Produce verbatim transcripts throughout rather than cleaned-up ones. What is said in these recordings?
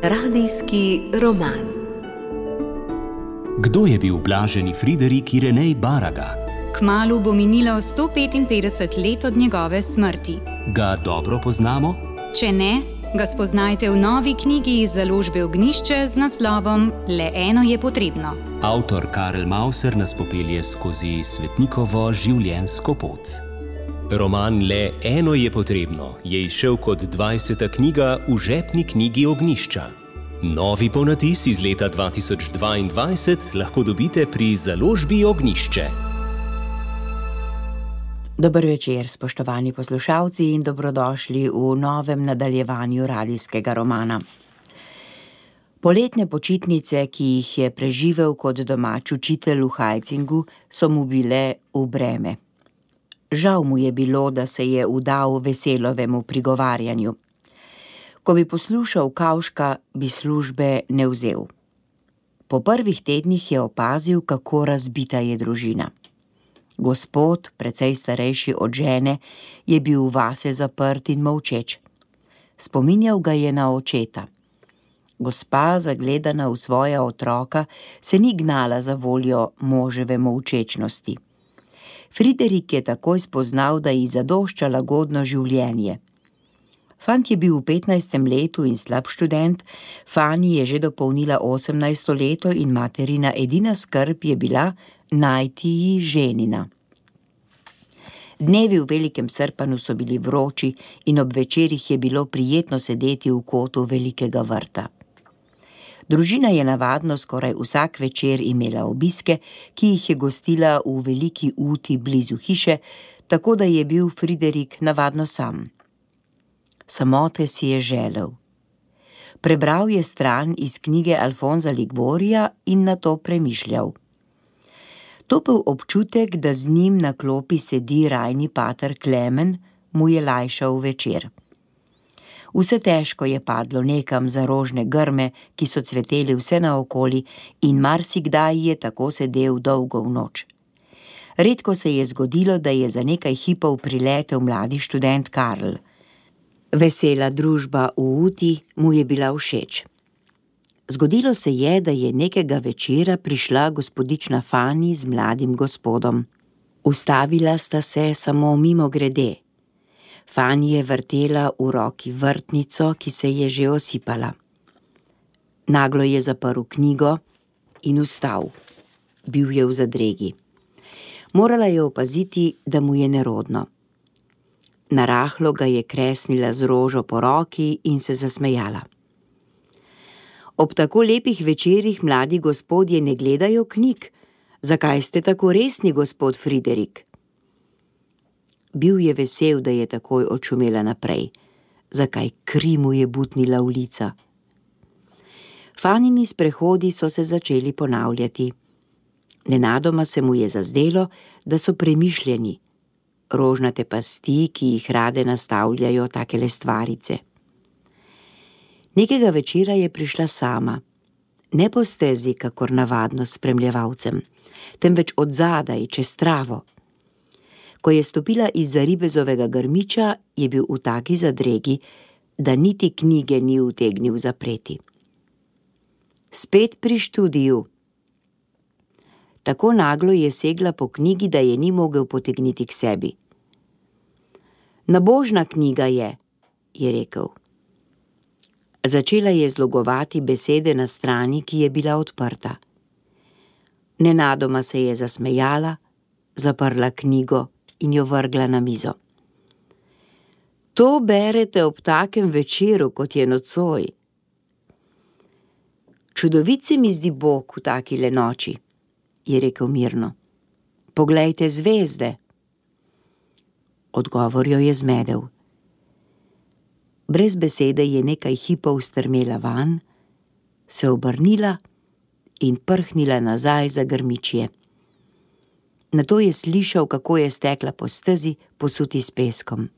Radijski roman. Kdo je bil blaženi Friderik Irenej Baraga? Kmalu bo minilo sto petinpetdeset let od njegove smrti. Ga dobro poznamo? Če ne, ga spoznajte v novi knjigi iz založbe Ognjišče z naslovom Le eno je potrebno. Avtor Karel Mauser nas popelje skozi svetnikovo življenjsko pot. Roman Le eno je potrebno je izšel kot dvajseta knjiga v žepni knjigi Ognjišča. Novi ponatis iz leta dva tisoč dvaindvajset lahko dobite pri založbi Ognjišče. Dober večer, spoštovani poslušalci, in dobrodošli v novem nadaljevanju radijskega romana. Poletne počitnice, ki jih je preživel kot domač učitelj v Hajcingu, so mu bile v breme. Žal mu je bilo, da se je vdal Veselovemu prigovarjanju. Ko bi poslušal Kavška, bi službe ne vzel. Po prvih tednih je opazil, kako razbita je družina. Gospod, precej starejši od žene, je bil vase zaprt in molčeč. Spominjal ga je na očeta. Gospa, zagledana v svoja otroka, se ni gnala za voljo moževe molčečnosti. Friderik je takoj spoznal, da ji zadošča lagodno življenje. Fant je bil v petnajstem letu in slab študent, Fani je že dopolnila osemnajsto leto in materina edina skrb je bila najti ji ženina. Dnevi v velikem Srpanu so bili vroči in ob večerih je bilo prijetno sedeti v kotu velikega vrta. Družina je navadno skoraj vsak večer imela obiske, ki jih je gostila v veliki uti blizu hiše, tako da je bil Friderik navadno sam. Samote si je želel. Prebral je stran iz knjige Alfonza Liguorija in nato premišljal. Topel občutek, da z njim na klopi sedi rajni pater Klemen, mu je lajšal večer. Vse težko je padlo nekam za rožne grme, ki so cveteli vse naokoli, in marsikdaj je tako sedel dolgo v noč. Redko se je zgodilo, da je za nekaj hipov priletel mladi študent Karl. Vesela družba v uti mu je bila všeč. Zgodilo se je, da je nekega večera prišla gospodična Fani z mladim gospodom. Ustavila sta se samo mimogrede. Fani je vrtela v roki vrtnico, ki se je že osipala. Naglo je zaprl knjigo in vstal. Bil je v zadregi. Morala je opaziti, da mu je nerodno. Narahlo ga je kresnila z rožo po roki in se zasmejala. Ob tako lepih večerih mladi gospodje ne gledajo knjig. Zakaj ste tako resni, gospod Friderik? Bil je vesel, da je takoj odšumela naprej. Zakaj kri mu je butnila v lica? Fanini sprehodi so se začeli ponavljati. Nenadoma se mu je zazdelo, da so premišljeni. Rožnate pasti, ki jih rade nastavljajo takele stvarice. Nekega večera je prišla sama. Ne po stezi, kakor navadno s spremljevalcem, temveč od zadaj, čez travo. Ko je stopila izza ribezovega grmiča, je bil v taki zadregi, da niti knjige ni utegnil zapreti. Spet pri študiju. Tako naglo je segla po knjigi, da je ni mogel potegniti k sebi. Nabožna knjiga je, je rekel. Začela je zlogovati besede na strani, ki je bila odprta. Nenadoma se je zasmejala, zaprla knjigo in jo vrgla na mizo. To berete ob takem večeru, kot je nocoj. Čudovit se mi zdi Bog v takile noči, je rekel mirno. Poglejte zvezde. Odgovor jo je zmedel. Brez besede je nekaj hipov strmela van, se obrnila in prhnila nazaj za grmičje. Nato je slišal, kako je stekla po stezi, posuti s peskom.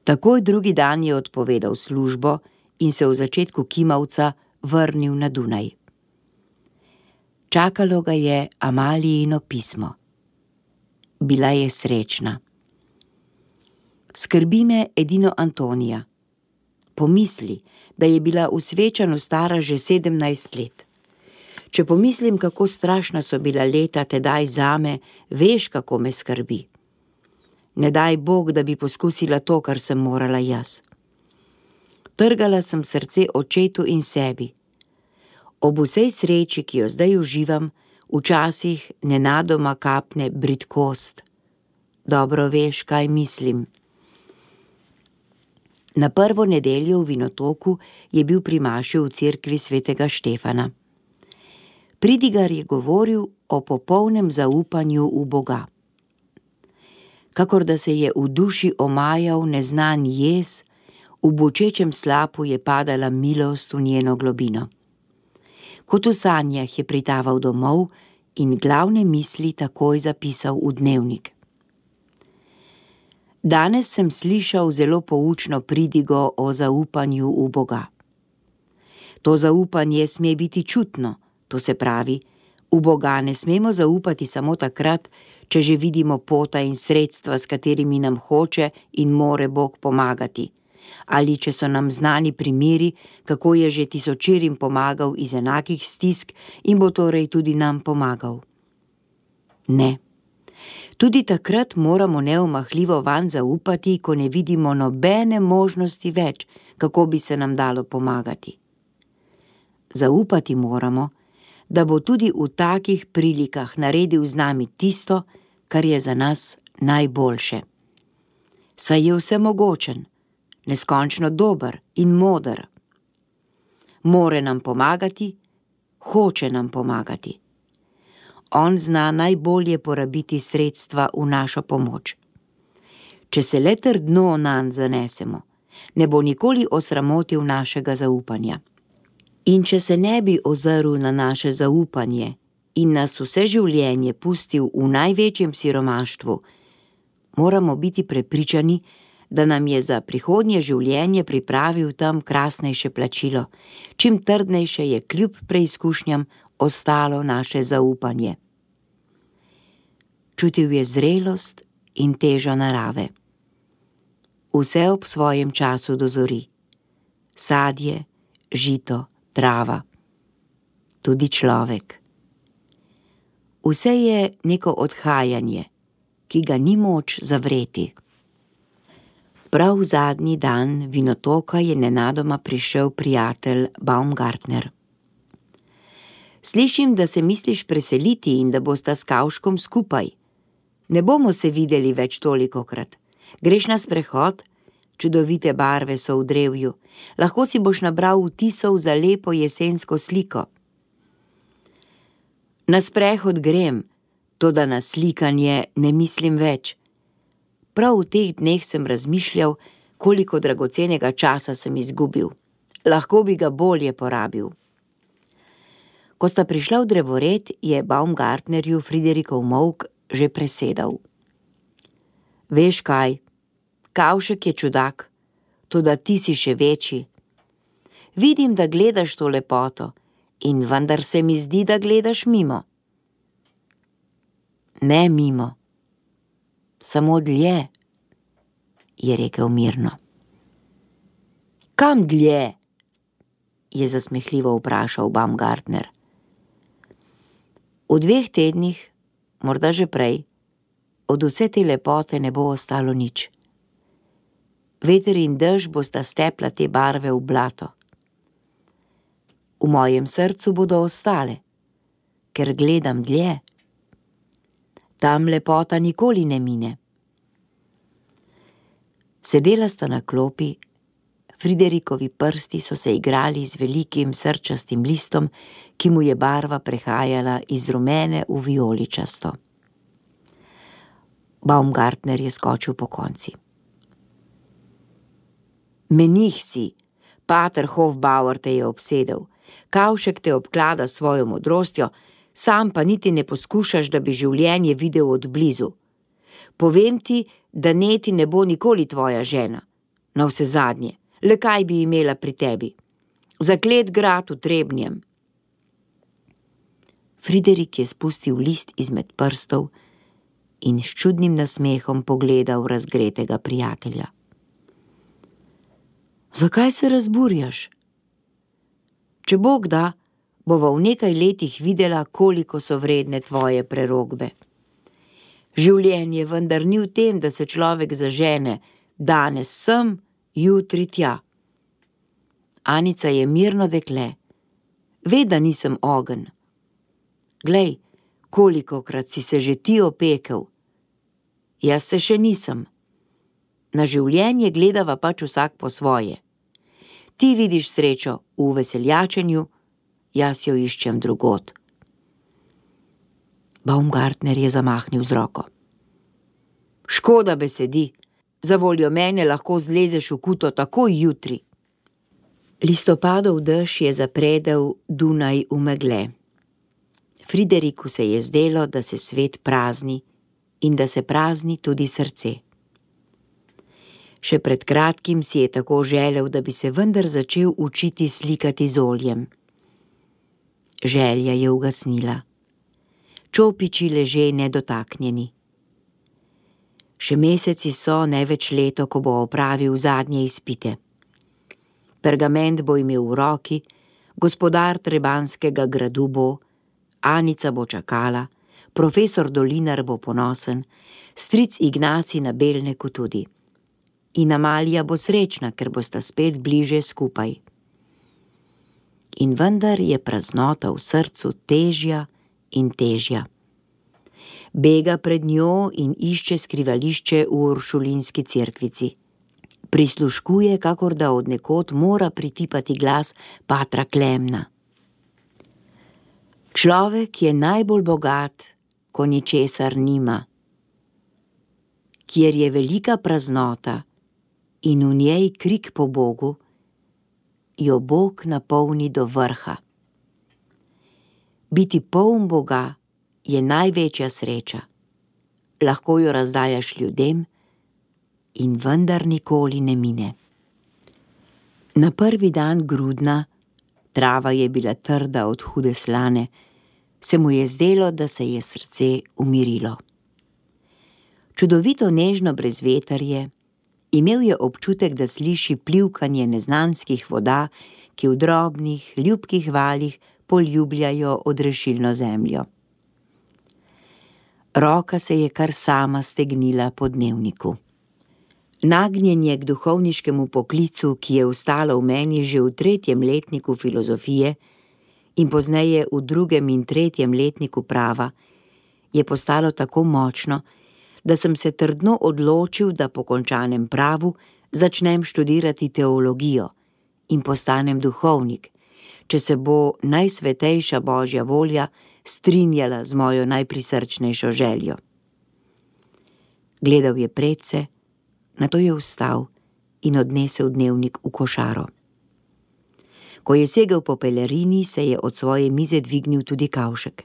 Takoj drugi dan je odpovedal službo in se v začetku kimavca vrnil na Dunaj. Čakalo ga je Amalijino pismo. Bila je srečna. Skrbi me edino Antonija. Pomisli, da je bila v svečanju stara že sedemnajst let. Če pomislim, kako strašna so bila leta tedaj zame, veš, kako me skrbi. Ne daj Bog, da bi poskusila to, kar sem morala jaz. Trgala sem srce očetu in sebi. Ob vsej sreči, ki jo zdaj uživam, včasih nenadoma kapne bridkost. Dobro veš, kaj mislim. Na prvo nedeljo v Vinotoku je bil pri maši v cerkvi svetega Štefana. Pridigar je govoril o popolnem zaupanju v Boga. Kakor da se je v duši omajal neznan jez, v bočečem slapu je padala milost v njeno globino. Kot v sanjah je pritaval domov in glavne misli takoj zapisal v dnevnik. Danes sem slišal zelo poučno pridigo o zaupanju v Boga. To zaupanje sme biti čutno, to se pravi, v Boga ne smemo zaupati samo takrat, če že vidimo pota in sredstva, s katerimi nam hoče in more Bog pomagati, ali če so nam znani primeri, kako je že tisočerim pomagal iz enakih stisk in bo torej tudi nam pomagal. Ne. Tudi takrat moramo neomahljivo vanj zaupati, ko ne vidimo nobene možnosti več, kako bi se nam dalo pomagati. Zaupati moramo, da bo tudi v takih prilikah naredil z nami tisto, kar je za nas najboljše. Saj je vsemogočen, neskončno dober in moder. More nam pomagati, hoče nam pomagati. On zna najbolje porabiti sredstva v našo pomoč. Če se le trdno nanj zanesemo, ne bo nikoli osramotil našega zaupanja. In če se ne bi ozrl na naše zaupanje in nas vse življenje pustil v največjem siromaštvu, moramo biti prepričani, da nam je za prihodnje življenje pripravil tam krasnejše plačilo, čim trdnejše je kljub preizkušnjam ostalo naše zaupanje. Čutil je zrelost in težo narave. Vse ob svojem času dozori. Sadje, žito, trava, tudi človek. Vse je neko odhajanje, ki ga ni moč zavreti. Prav v zadnji dan Vinotoka je nenadoma prišel prijatelj Baumgartner. Slišim, da se misliš preseliti in da bosta s Kavškom skupaj. Ne bomo se videli več tolikokrat. Greš na sprehod? Čudovite barve so v drevju. Lahko si boš nabral vtisov za lepo jesensko sliko. Na sprehod grem, toda na slikanje ne mislim več. Prav v teh dneh sem razmišljal, koliko dragocenega časa sem izgubil. Lahko bi ga bolje porabil. Ko sta prišla v drevored, je Baumgartnerju Friderikov molk že presedal. Veš kaj, Kavšek je čudak, toda ti si še večji. Vidim, da gledaš to lepoto in vendar se mi zdi, da gledaš mimo. Ne mimo, samo dlje, je rekel mirno. Kam dlje? Je zasmehljivo vprašal Baumgartner. V dveh tednih, morda že prej, od vse te lepote ne bo ostalo nič. Veter in dež bosta stepla te barve v blato. V mojem srcu bodo ostale, ker gledam dlje. Tam lepota nikoli ne mine. Sedela sta na klopi, Friderikovi prsti so se igrali z velikim srčastim listom, ki mu je barva prehajala iz rumene v vijoličasto. Baumgartner je skočil po konci. Menih si, pater Hofbauer te je obsedel, Kavšek te obklada s svojo modrostjo, sam pa niti ne poskušaš, da bi življenje videl od blizu. Povem ti, da neti ne bo nikoli tvoja žena. Na vse zadnje, le kaj bi imela pri tebi? Zaklet grad v Trebnjem. Friderik je spustil list izmed prstov in s čudnim nasmehom pogledal razgretega prijatelja. Zakaj se razburjaš? Če Bog da, bova v nekaj letih videla, koliko so vredne tvoje prerokbe. Življenje vendar ni v tem, da se človek zažene, danes sem, jutri tja. Anica je mirno dekle, ve, da nisem ogenj. Glej, kolikokrat si se že ti opekel. Jaz se še nisem. Na življenje gledava pač vsak po svoje. Ti vidiš srečo v veseljačenju, jaz jo iščem drugod. Baumgartner je zamahnil z roko. Škoda besedi, za voljo mene lahko zlezeš v kuto takoj jutri. Listopadov dež je zapredel Dunaj v megle. Frideriku se je zdelo, da se svet prazni in da se prazni tudi srce. Še pred kratkim si je tako želel, da bi se vendar začel učiti slikati z oljem. Želja je ugasnila. Čopiči leže nedotaknjeni. Še meseci so, ne več leto, ko bo opravil zadnje izpite. Pergament bo imel v roki, gospodar Trebanskega gradu bo, Anica bo čakala, profesor Dolinar bo ponosen, stric Ignacij na Belneku tudi. In Amalija bo srečna, ker bosta spet bliže skupaj. In vendar je praznota v srcu težja in težja. Bega pred njo in išče skrivališče v uršulinski cerkvici. Prisluškuje, kakor da od nekod mora pritipati glas patra Klemna. Človek je najbolj bogat, ko ničesar nima. Kjer je velika praznota in v njej krik po Bogu, jo Bog napolni do vrha. Biti poln Boga je največja sreča. Lahko jo razdajaš ljudem in vendar nikoli ne mine. Na prvi dan grudna, trava je bila trda od hude slane, se mu je zdelo, da se je srce umirilo. Čudovito nežno brezvetrje, imel je občutek, da sliši plivkanje neznanskih voda, ki v drobnih, ljubkih valih poljubljajo odrešilno zemljo. Roka se je kar sama stegnila po dnevniku. Nagnjenje k duhovniškemu poklicu, ki je ustalo v meni že v tretjem letniku filozofije in pozneje v drugem in tretjem letniku prava, je postalo tako močno, da sem se trdno odločil, da po končanem pravu začnem študirati teologijo in postanem duhovnik, če se bo najsvetejša Božja volja strinjala z mojo najprisrčnejšo željo. Gledal je predse, nato je vstal in odnesel dnevnik v košaro. Ko je segel po pelerini, se je od svoje mize dvignil tudi Kavšek.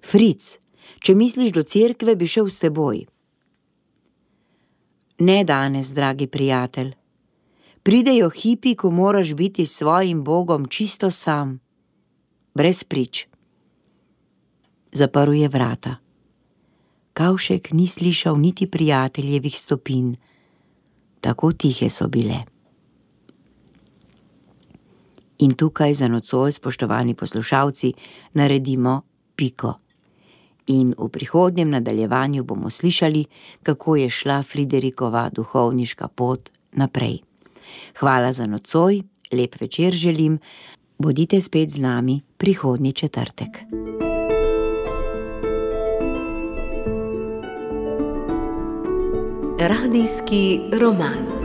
Fric, če misliš do cerkve, bi šel s teboj. Ne danes, dragi prijatelj. Pridejo hipi, ko moraš biti s svojim Bogom čisto sam, brez prič. Zaprl je vrata. Kavšek ni slišal niti prijateljevih stopinj, tako tihe so bile. In tukaj za nocoj, spoštovani poslušalci, naredimo piko. In v prihodnjem nadaljevanju bomo slišali, kako je šla Friderikova duhovniška pot naprej. Hvala za nocoj, lep večer želim, bodite spet z nami prihodnji četrtek. Radijski roman.